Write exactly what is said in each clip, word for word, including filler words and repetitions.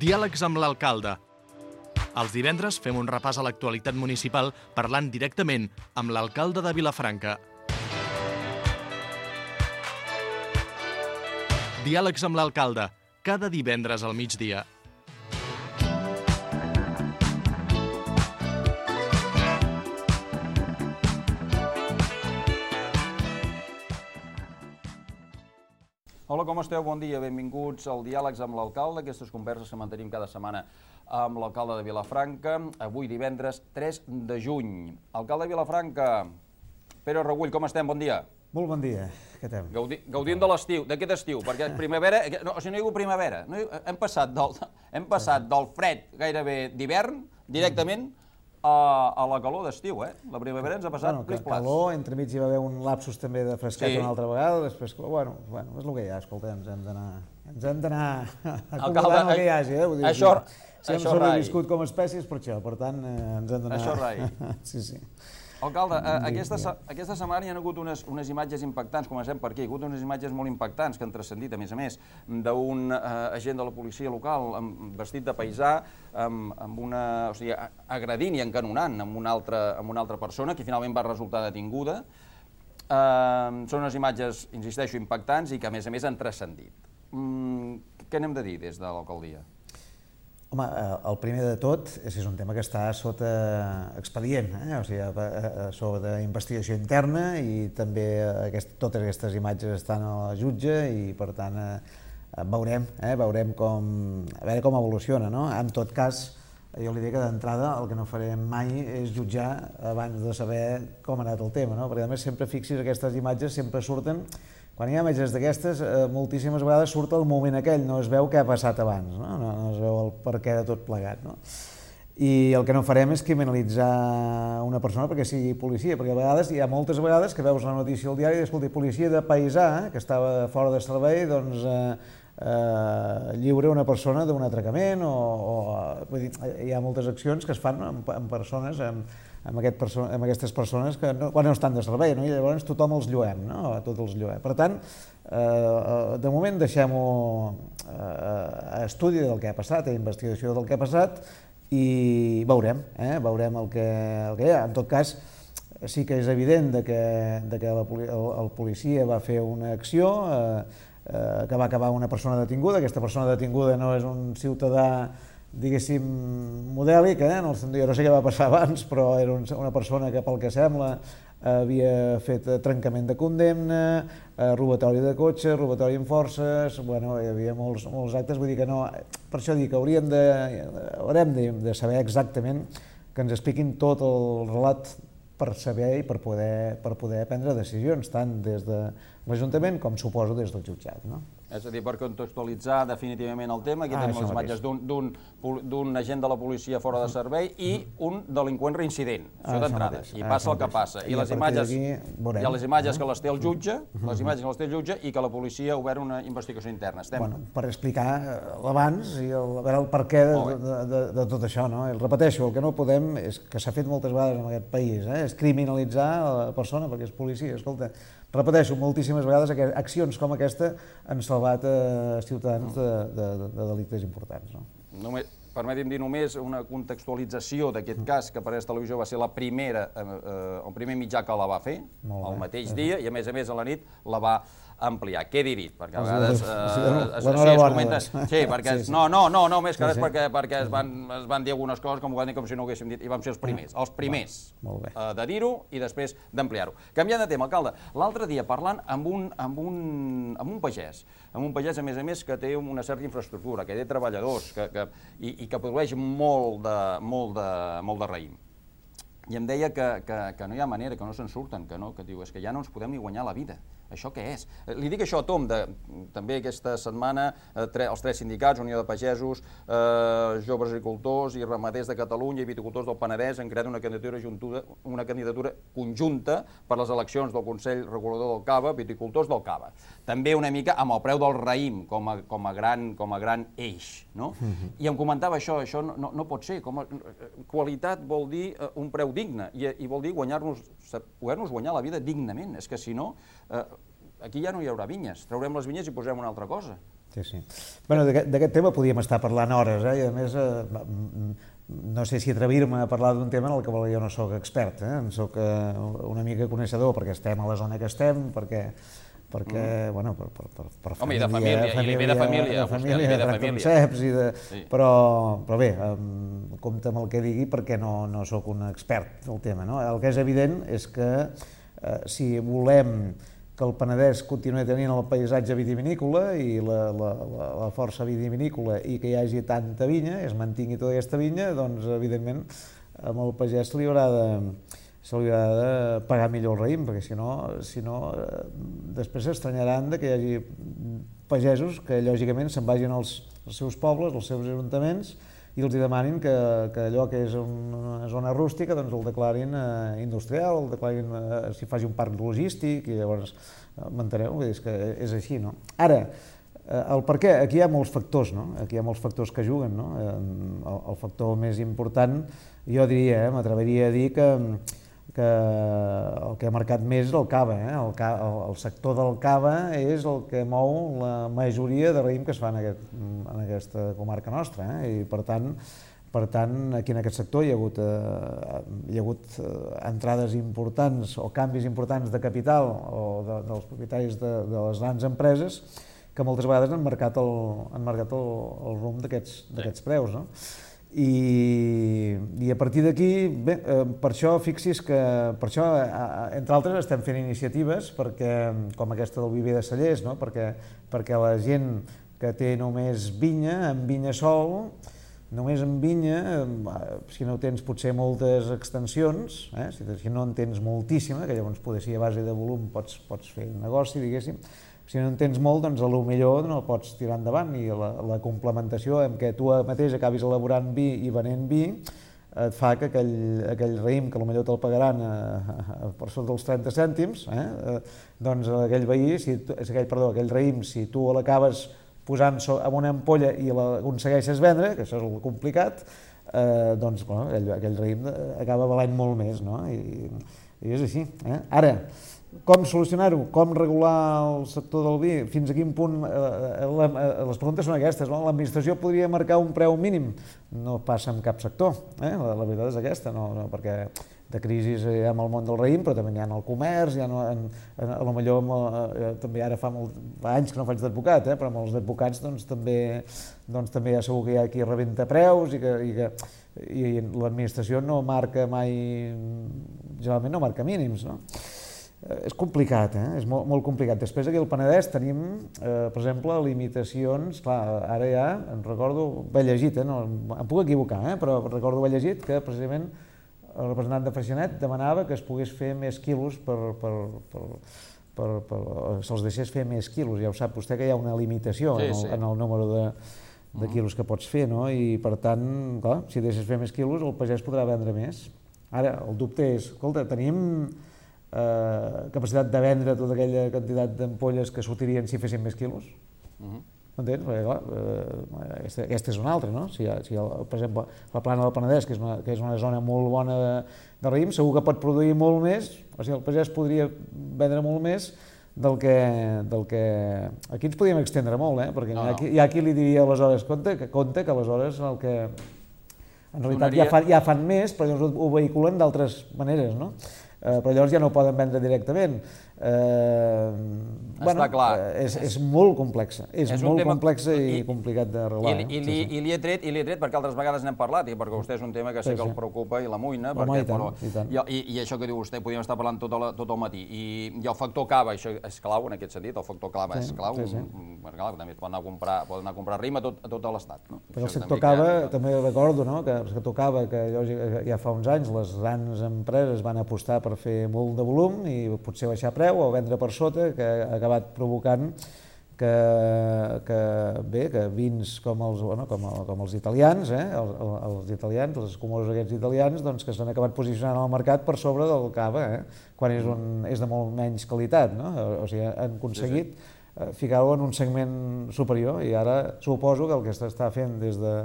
Diàlegs amb l'alcalde. Els divendres fem un repàs a l'actualitat municipal parlant directament amb l'alcalde de Vilafranca. Diàlegs amb l'alcalde, cada divendres al migdia. Hola, com esteu? Bon dia, benvinguts al Diàlegs amb l'alcalde, aquestes converses que mantenim cada setmana amb l'alcalde de Vilafranca, avui divendres tres de juny. Alcalde de Vilafranca, Pere Regull, com estem? Bon dia. Molt bon dia, què fem? Gaudi, gaudint de l'estiu, d'aquest estiu, perquè primavera, no, o sigui, no hi ha hagut primavera, no hi, hem, passat del, hem passat del fred gairebé d'hivern directament a, a la calor d'estiu, eh? La primavera ens ha passat bueno, plis-plas. Calor, entremig hi va haver un lapsus també de fresquet Sí. una altra vegada, després, bueno, bueno, és el que hi ha, escolta, ens hem d'anar ens hem d'anar Alcalde, acomodant el que hi hagi, eh? Vull dir, això- si hem això sobreviscut com a espècies per això, per tant, eh, ens hem d'anar... Això rai. Sí, sí. Alcalde, eh, aquesta, se- aquesta setmana hi ha hagut unes, unes imatges impactants, comencem per aquí, hi ha hagut unes imatges molt impactants que han transcendit, a més a més, d'un eh, agent de la policia local amb, vestit de paisà, amb, amb una, o sigui, a- agredint i encanonant amb una, altra, amb una altra persona, que finalment va resultar detinguda. Eh, són unes imatges, insisteixo, impactants i que, a més a més, han transcendit. Mm, què n'hem de dir des de l'alcaldia? Home, eh, el primer de tot és que és un tema que està sota expedient, eh? O sigui, eh, sota investigació interna i també aquest, totes aquestes imatges estan a la jutge i per tant eh, veurem, eh? veurem com, a veure com evoluciona, no? En tot cas, jo li dic que d'entrada el que no farem mai és jutjar abans de saber com ha anat el tema, no? Perquè a més sempre fixis aquestes imatges sempre surten. Quan hi ha imatges d'aquestes, eh, moltíssimes vegades surt el moment aquell, no es veu què ha passat abans, no? No, no es veu el perquè de tot plegat, no? I el que no farem és criminalitzar una persona perquè sigui policia, perquè a vegades, hi ha moltes vegades que veus la notícia al diari i escolta, policia de paisà, que estava fora de servei, doncs eh, eh, lliure una persona d'un atracament o, o vull dir, hi ha moltes accions que es fan amb, amb persones, amb, amb, aquest perso amb aquestes persones que no, quan no estan de servei, no? I llavors tothom els lluem, no? Tots els lluem. Per tant, eh, de moment deixem-ho a estudi del que ha passat, a investigació del que ha passat i veurem, eh? veurem el que, el que hi ha. En tot cas, sí que és evident de que, de que la, el, el policia va fer una acció eh, eh, que va acabar una persona detinguda. Aquesta persona detinguda no és un ciutadà, diguéssim, modèlic, eh? En el sentit, jo no sé què va passar abans, però era un, una persona que, pel que sembla, havia fet trencament de condemna, eh, robatori de cotxe, robatori amb forces, bueno, hi havia molts, molts actes, vull dir que no... Per això dic que hauríem de, haurem de, de saber exactament, que ens expliquin tot el relat per saber i per poder, per poder prendre decisions, tant des de l'Ajuntament com suposo des del jutjat, no? És a dir, per contextualitzar definitivament el tema, aquí Ah, tenim això les imatges d'un- d'un pol- d'un agent de la policia fora de servei i un delinqüent reincident, Ah, això això d'entrada, mateix, i ah, passa això el que mateix. passa. I I a les partir imatges, d'aquí veurem, hi ha les imatges eh? que les té el jutge, les imatges que les té el jutge i que la policia ha obert una investigació interna. Estem... Bueno, per explicar l'abans i el, a veure el perquè de, Molt bé. de, de, de tot això, no? El repeteixo, el que no podem és que s'ha fet moltes vegades en aquest país, eh? És criminalitzar la persona perquè és policia. Escolta, repeteixo, moltíssimes vegades aquest, accions com aquesta han salvat eh, ciutadans de, de, de, de delictes importants, no? Només, permeti'm dir només una contextualització d'aquest cas, que per a Televisió va ser la primera, eh, eh, el primer mitjà que la va fer, Molt el bé. mateix dia, i a més a més a la nit la va ampliar. Quedi dit, perquè a Els- vegades els- eh, sí, es, es, l'enhorabona, es comenta... doncs. Sí, perquè... Sí, sí. No, no, no, no, més que Sí, res sí. perquè, perquè es, van, es van dir algunes coses com ho van dir com si no ho haguéssim dit, i vam ser els primers, els primers Molt bé. eh, de dir-ho i després d'ampliar-ho. Canviant de tema, alcalde, l'altre dia parlant amb un, amb, un, amb un pagès, amb un pagès, a més a més, que té una certa infraestructura, que té treballadors que, que, i, i que produeix molt de, molt de, molt de raïm. I em deia que, que, que no hi ha manera, que no se'n surten, que, no, que diu, és que ja no ens podem ni guanyar la vida. Això què és? Li dic això a Tom, de, també aquesta setmana eh, tre, els tres sindicats, Unió de Pagesos, eh, Joves Agricultors i Ramaders de Catalunya i Viticultors del Penedès han creat una candidatura, juntuda, una candidatura conjunta per les eleccions del Consell Regulador del Cava, Viticultors del Cava. També una mica amb el preu del raïm com a, com a, gran, com a gran eix. No? Uh-huh. I em comentava això, això no, no, no pot ser. Com a, qualitat vol dir eh, un preu digne i, i vol dir guanyar-nos, poder-nos guanyar la vida dignament. És que si no... Eh, aquí ja no hi haurà vinyes, traurem les vinyes i posarem una altra cosa. Sí, sí. Bueno, d'aquest tema podíem estar parlant hores, eh? I a més, eh, no sé si atrevir-me a parlar d'un tema en el que jo no sóc expert, eh? En soc una mica coneixedor perquè estem a la zona que estem, perquè perquè, mm. bueno, per, per, per, per Home, família, i de família, família, i ve de família, de família, de, de franconceps, i de... Sí. Però, però bé, um, compte amb el que digui perquè no, no sóc un expert del tema, no? El que és evident és que eh, si volem que el Penedès continuï tenint el paisatge vitivinícola i la, la, la, la força vitivinícola i que hi hagi tanta vinya, es mantingui tota aquesta vinya, doncs, evidentment, amb el pagès se li haurà de... se li haurà de pagar millor el raïm, perquè si no, si no després s'estranyaran de que hi hagi pagesos que lògicament se'n vagin als, als seus pobles, als seus ajuntaments, i els demanin que, que allò que és una zona rústica doncs el declarin eh, industrial, el declarin eh, si faci un parc logístic, i llavors eh, m'enteneu? És que és així, no? Ara, eh, el per què? Aquí hi ha molts factors, no? Aquí hi ha molts factors que juguen, no? Eh, el, el factor més important, jo diria, eh, m'atreviria a dir que que el que ha marcat més és el cava, eh? el, ca, el, el sector del cava és el que mou la majoria de raïm que es fa en, aquest, en aquesta comarca nostra, eh? I per tant, per tant, aquí en aquest sector hi ha hagut, eh, hi ha hagut eh, entrades importants o canvis importants de capital o de, dels propietaris de, de les grans empreses que moltes vegades han marcat el, han marcat el, el rumb d'aquests d'aquests preus, no? I, i a partir d'aquí, bé, eh, per això fixi's que, per això, eh, entre altres, estem fent iniciatives perquè, com aquesta del Viver de Cellers, no? perquè, perquè la gent que té només vinya, amb vinya sol, només amb vinya, eh, si no tens potser moltes extensions, eh? si, si no en tens moltíssima, que llavors poder ser a base de volum pots, pots fer un negoci, diguéssim, si no en tens molt, doncs potser no el pots tirar endavant, i la, la complementació en què tu mateix acabis elaborant vi i venent vi et fa que aquell, aquell raïm, que potser te'l pagaran a, a, per sota dels trenta cèntims, eh, doncs aquell veí, si tu, aquell, perdó, aquell raïm, si tu l'acabes posant en una ampolla i l'aconsegueixes vendre, que això és el complicat, eh, doncs bueno, aquell, aquell raïm acaba valant molt més, no? I, i és així. Eh? Ara, com solucionar-ho? Com regular el sector del vi? Fins a quin punt? Eh, la, les preguntes són aquestes, no? L'administració podria marcar un preu mínim? No passa en cap sector, eh? la, la veritat és aquesta, no, no, perquè de crisi hi ha amb el món del raïm, però també hi ha en el comerç, hi ha en, en, a lo millor eh, també ara fa, molt, fa anys que no faig d'advocat, eh? Però amb els advocats doncs, també, doncs, també ja segur que hi ha qui rebenta preus i que, i que i l'administració no marca mai, generalment no marca mínims, no? És complicat, eh? És molt, molt complicat. Després aquí al Penedès tenim, eh, per exemple, limitacions, clar, ara ja em recordo, ben llegit, eh? No, em puc equivocar, eh? Però recordo ben llegit que precisament el representant de Freixenet demanava que es pogués fer més quilos per, per, per, per, per se'ls deixés fer més quilos. Ja ho sap vostè que hi ha una limitació sí, en, el, sí. en el número de, de quilos que pots fer, no? I per tant, clar, si deixes fer més quilos, el pagès podrà vendre més. Ara, el dubte és, escolta, tenim Eh, capacitat de vendre tota aquella quantitat d'ampolles que sortirien si fessin més quilos? Uh-huh. M'entens? Perquè, clar, eh, aquesta, aquesta és una altra, no? Si, si el, per exemple, la plana del Penedès, que és una, que és una zona molt bona de, de raïm, segur que pot produir molt més, o sigui, el pagès podria vendre molt més del que... Del que... Aquí ens podríem extendre molt, eh? Perquè no, hi, ha qui, hi ha qui li diria aleshores, compte que, compte que aleshores el que... En realitat Donaria... ja, fan, ja fan més, però llavors ho vehiculen d'altres maneres, no? Uh, però llavors ja no ho poden vendre directament. Uh, bueno, clar. És, és molt complexa, és, és molt tema... complexa i, i complicat de regular. I, i, i, sí, sí. I li he tret, i li he tret perquè altres vegades n'hem parlat, i perquè vostè és un tema que sé sí, que el preocupa i l'amoïna, perquè, i, tant, però, i, tant. I, i això que diu vostè, podríem estar parlant tot, la, tot el matí, I, i el factor cava, això és clau en aquest sentit, el factor cava sí, és clau, sí, sí. Perquè, clar, també es pot anar a comprar, pot anar a comprar raïm a tot, a tot l'Estat. No? Però el sector cava, ha... també recordo, no? Que el sector cava, que ja fa uns anys les grans empreses van apostar per fer molt de volum i potser baixar preu o vendre per sota, que ha acabat provocant que, que, bé, que vins com els, bueno, com, com els italians, eh? els, els italians, els escumosos aquests italians, doncs, que s'han acabat posicionant al mercat per sobre del cava, eh? Quan és, un, és de molt menys qualitat, no? O sigui, han aconseguit sí, sí. ficar-ho en un segment superior i ara suposo que el que s'està fent des de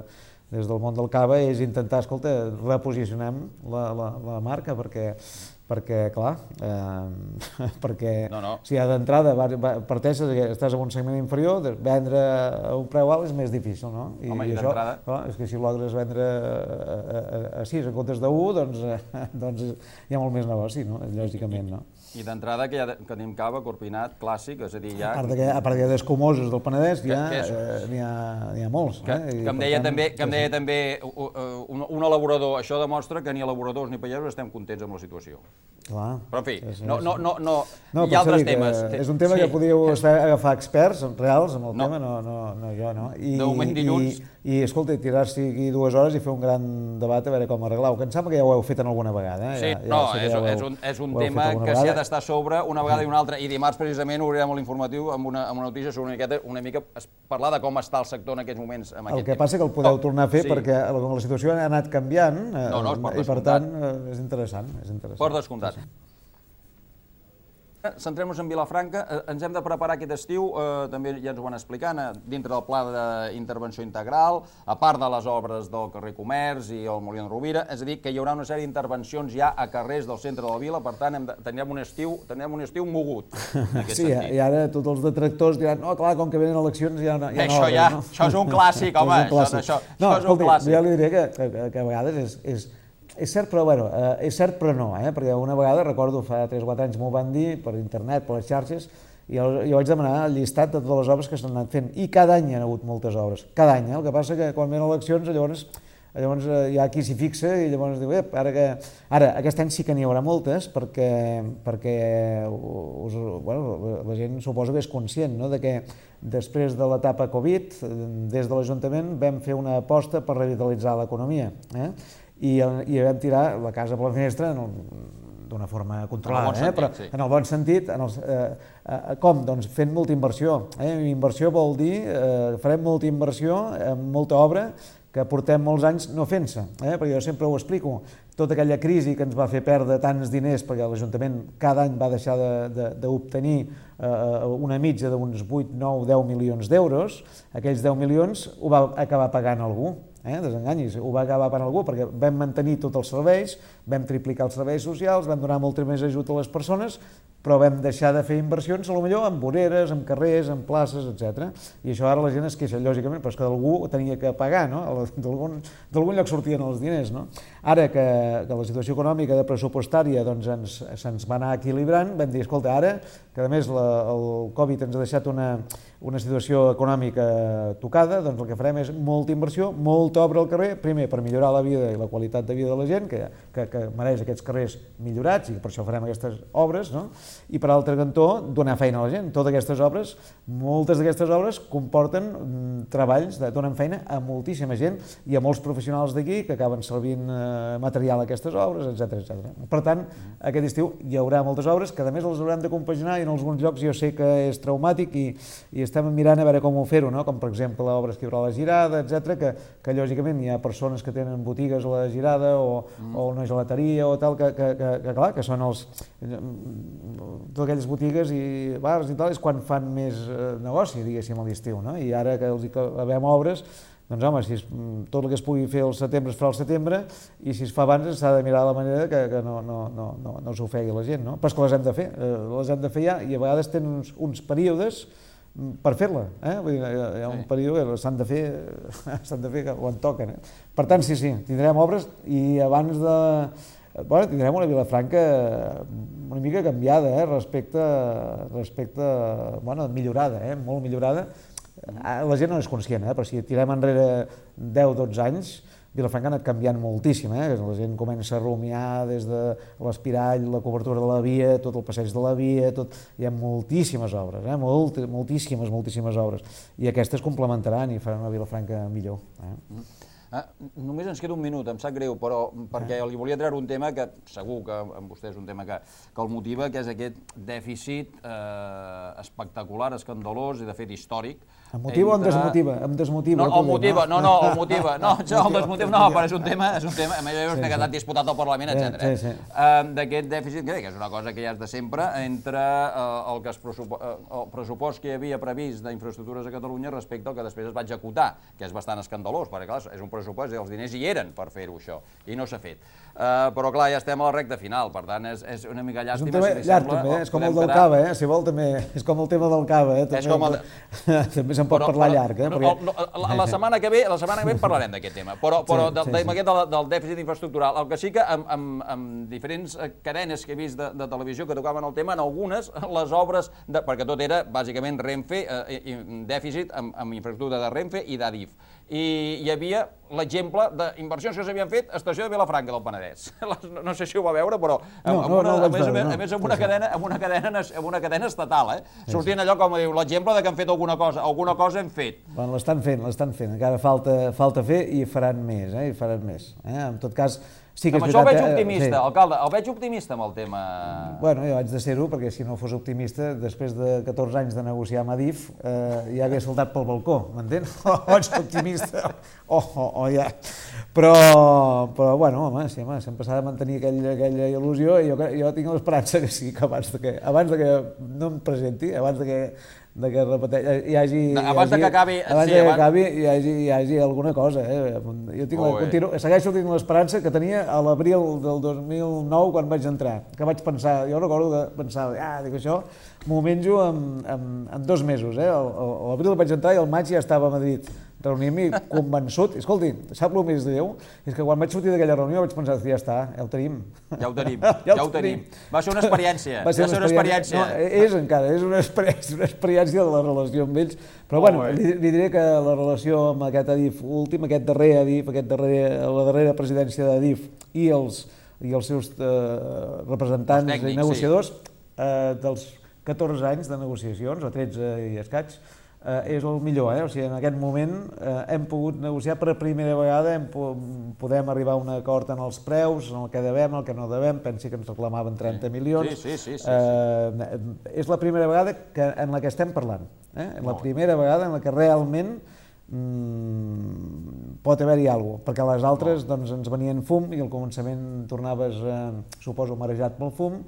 des del món del cava és intentar, escolta, reposicionem la, la, la marca perquè, perquè, clar, eh, perquè No, no. si d'entrada parteixes, estàs en un segment inferior, vendre a un preu alt és més difícil, no? I, Home, i i això, d'entrada- clar, és que si logres vendre a, a, a sis en comptes de u, doncs, eh, doncs hi ha molt més negoci, no? Lògicament, no? I d'entrada que, ja, que tenim cava, corpinat, clàssic, és a dir, ja... A part, de que, a part de d'escumosos del Penedès, Que- ja, que és- eh, n'hi ha, n'hi ha molts. Que, eh? I, que em per deia tant, també, que em sí, deia sí. també uh, uh, un, un elaborador, això demostra que ni elaboradors ni pagesos estem contents amb la situació. Clar. Però, en fi, És- no, no, no, no, No, hi ha per això altres dic que temes. És un tema Sí. que podíeu estar, agafar experts reals amb el No. tema, no, no, no jo, no? I, De moment dilluns. I, i escolta, tirar-s'hi aquí dues hores i fer un gran debat a veure com arreglar-ho, que em sembla que ja ho heu fet en alguna vegada. Eh? Sí, ja, ja no, sé que és, ja ho heu- és un, és un ho heu fet tema alguna que s'hi ha vegada. d'estar a sobre una vegada i una altra. I dimarts, precisament, obrirem l'informatiu amb una, amb una notícia sobre una miqueta, una mica es- parlar de com està el sector en aquests moments amb El aquest que tema. passa que el podeu Oh, tornar a fer sí, perquè la, la situació ha anat canviant eh, No, no, es pot i per descomptar. tant eh, és interessant. És interessant. Per descomptat. Centrem-nos en Vilafranca. Eh, Ens hem de preparar aquest estiu, eh, també ja ens ho van explicant, eh, dintre del pla d'intervenció integral, a part de les obres del carrer Comerç i el Molí en Rovira, és a dir, que hi haurà una sèrie d'intervencions ja a carrers del centre de la vila, per tant, hem de, tindrem un estiu, tindrem un estiu mogut, en aquest Sí, sentit. i ara tots els detractors diran, no, clar, com que venen eleccions ja no, ja Això no obren, ja- no? això és un clàssic, home, És un clàssic. això- no, això és un escolti, clàssic. Jo li diré que, que, que a vegades és, és, és cert, però bueno, eh, és cert però no, eh? Perquè una vegada, recordo, fa tres o quatre anys m'ho van dir per internet, per les xarxes, i jo, jo vaig demanar el llistat de totes les obres que s'han anat fent, i cada any hi ha hagut moltes obres, cada any, eh? El que passa que quan venen eleccions, llavors llavors eh, hi ha qui s'hi fixa i llavors diu, ep, ara que... Ara, aquest any sí que n'hi haurà moltes perquè, perquè us, bueno, la gent suposo que és conscient, no?, de que després de l'etapa Covid, des de l'Ajuntament vam fer una aposta per revitalitzar l'economia, eh? I, i vam tirar la casa per la finestra en el, d'una forma controlada, En el bon eh? sentit, Però sí. en el bon sentit, en els, eh, eh, com? Doncs fent molta inversió. Eh? Inversió vol dir, eh, farem molta inversió, eh, molta obra, que portem molts anys no fent-se, eh? Perquè jo sempre ho explico, tota aquella crisi que ens va fer perdre tants diners, perquè l'Ajuntament cada any va deixar d'obtenir eh, una mitja d'uns vuit, nou, deu milions d'euros, aquells deu milions ho va acabar pagant algú, eh? Desenganyis, ho va acabar pagant algú, perquè vam mantenir tots els serveis, vam triplicar els serveis socials, vam donar molt més ajut a les persones, però vam deixar de fer inversions, potser en voreres, en carrers, en places, etcètera. I això ara la gent es queixa, lògicament, però és que d'algú ho tenia que pagar, no? D'algun lloc sortien els diners, no? Ara que, que la situació econòmica de pressupostària doncs, ens, se'ns va anar equilibrant, vam dir, escolta, ara, que a més la, el Covid ens ha deixat una, una situació econòmica tocada, doncs el que farem és molta inversió, molta obra al carrer, primer per millorar la vida i la qualitat de vida de la gent, que, que, que mereix aquests carrers millorats, i per això farem aquestes obres, no? I per altre cantó, donar feina a la gent. Totes aquestes obres, moltes d'aquestes obres comporten mm, treballs, de, donen feina a moltíssima gent i a molts professionals d'aquí que acaben servint eh, material a aquestes obres, etcètera, etcètera. Per tant, aquest estiu hi haurà moltes obres que a més les haurem de compaginar i en alguns llocs jo sé que és traumàtic i, i estem mirant a veure com ho fer-ho, no? Com per exemple l'obra que hi haurà a la Girada, etcètera, que, que lògicament hi ha persones que tenen botigues a la Girada o, mm. o una gelateria o tal, que, que, que, que clar, que són els... totes aquelles botigues i bars i tal, és quan fan més eh, negoci, diguéssim, a l'estiu, no? I ara que els acabem obres, doncs home, si es, tot el que es pugui fer al setembre es farà al setembre i si es fa abans s'ha de mirar la manera que, que no, no, no, no, no s'ofegui la gent, no? Però és que les hem de fer, eh, les hem de fer ja i a vegades tenen uns, uns períodes per fer-la, eh? Vull dir, hi ha un període que s'han de fer, s'han de fer quan toquen, eh? Per tant, sí, sí, tindrem obres i abans de... Bueno, tindrem una Vilafranca una mica canviada, eh? respecte, respecte, bueno, millorada, eh? Molt millorada. La gent no és conscient, eh? Però si tirem enrere deu o dotze anys, Vilafranca ha anat canviant moltíssim, eh? La gent comença a rumiar des de l'espirall, la cobertura de la via, tot el passeig de la via, tot... hi ha moltíssimes obres, eh? Molt, moltíssimes, moltíssimes obres. I aquestes complementaran i faran una Vilafranca millor. Eh? Ah, només ens queda un minut, em sap greu, però perquè li volia treure un tema que segur que amb vostè és un tema que, que el motiva, que és aquest dèficit eh, espectacular, escandalós i de fet històric. Em motiva entre... o em desmotiva? Em desmotiva. No, el motiva, no, no, el motiva. No, el desmotiva no, però és un tema, és un tema, a més és que ha quedat disputat al Parlament, etcètera. Sí, sí. Uh, D'aquest dèficit, que és una cosa que ja és de sempre, entre uh, el, que es pressupo uh, el pressupost que hi havia previst d'infraestructures a Catalunya respecte al que després es va executar, que és bastant escandalós, perquè clar, és un pressupost, els diners hi eren per fer-ho això, i no s'ha fet. Uh, però clar, ja estem a la recta final, per tant és, és una mica llàstima. És un tema si llarg sembla, també, és com el del quedar... cava, eh? Si vol també, és com el tema del cava, eh? També, és com el... també se'n pot però, parlar però, llarg, eh? No, Perquè... no, la, la, setmana que ve, la setmana que ve parlarem d'aquest tema, però, però Sí, del, sí, del, sí. del, del dèficit infraestructural, el que sí que amb, amb, amb diferents cadenes que he vist de, de televisió que tocaven el tema, en algunes, les obres, de, perquè tot era bàsicament Renfe, eh, dèficit amb, amb infraestructura de Renfe i d'Adif. I hi havia l'exemple d'inversions que s'havien fet a Estació de Vilafranca del Penedès. No sé si ho va veure, però No, no, no ho vaig veure, no. a més amb una cadena, amb una cadena, amb una cadena estatal, eh? Sortint allò com diu l'exemple de que han fet alguna cosa, alguna cosa hem fet. Bueno, l'estan fent, l'estan fent, encara falta, falta fer i faran més, eh? I faran més. Eh? En tot cas, sí que és amb això el veig veritat, eh, optimista, sí. alcalde, el veig optimista amb el tema... Bueno, jo haig de ser-ho, perquè si no fos optimista, després de catorze anys de negociar amb Adif, eh, ja hagués saltat pel balcó, m'entén? O ets optimista, o, o, o ja... Però, però bueno, home, sí, home, sempre s'ha de mantenir aquella, aquella il·lusió i jo, jo tinc l'esperança que sí, que abans de que, abans de que no em presenti, abans de que, de que repeteix, hi hagi... Abans de que acabi... Abans sí, de que abans... acabi hi hagi, hi hagi alguna cosa, eh? Jo tinc la, continuo, segueixo tenint l'esperança que tenia a l'abril del dos mil nou quan vaig entrar, que vaig pensar, jo recordo que pensava, ah, dic això, m'ho menjo en, en, en dos mesos, eh? A l'abril vaig entrar i al maig ja estava a Madrid, reunir-m'hi convençut. I, escolti, sap el més greu? És que quan vaig sortir d'aquella reunió vaig pensar, ja està, ja ho tenim. Ja ho tenim, ja, ja ho tenim. Va ser una experiència. Va ser una, una experiència. No, és encara, és una experiència, una experiència de la relació amb ells. Però bueno, li, li diré que la relació amb aquest Adif últim, aquest darrer Adif, aquest darrer, la darrera presidència d'Adif i els, i els seus eh, representants tècnics, i negociadors, sí. eh, dels catorze anys de negociacions, o tretze i escaig, Eh, és el millor, eh? O sigui, en aquest moment eh, hem pogut negociar per primera vegada, hem po podem arribar a un acord en els preus, en el que devem, en el que no devem, pensi que ens reclamaven trenta milions. Sí, sí, sí, sí, eh, sí. És la primera vegada que, en la que estem parlant, eh? La primera vegada en la que realment mm, pot haver-hi alguna cosa, perquè les altres doncs, ens venien fum i al començament tornaves, eh, suposo, marejat pel fum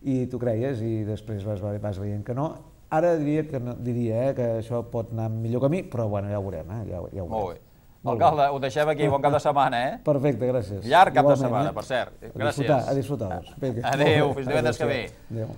i tu creies i després vas, vas veient que no. Ara diria que, no, diria, eh, que això pot anar en millor camí, però bueno, ja ho veurem. Eh? Ja, ja ho veurem. Molt bé. Alcalde, ho deixem aquí. Bon cap de setmana, eh? Perfecte, gràcies. Llarg cap Igualment, de setmana, eh? per cert. Gràcies. A disfrutar, a disfrutar. Adéu, fins divendres que ve. Adéu.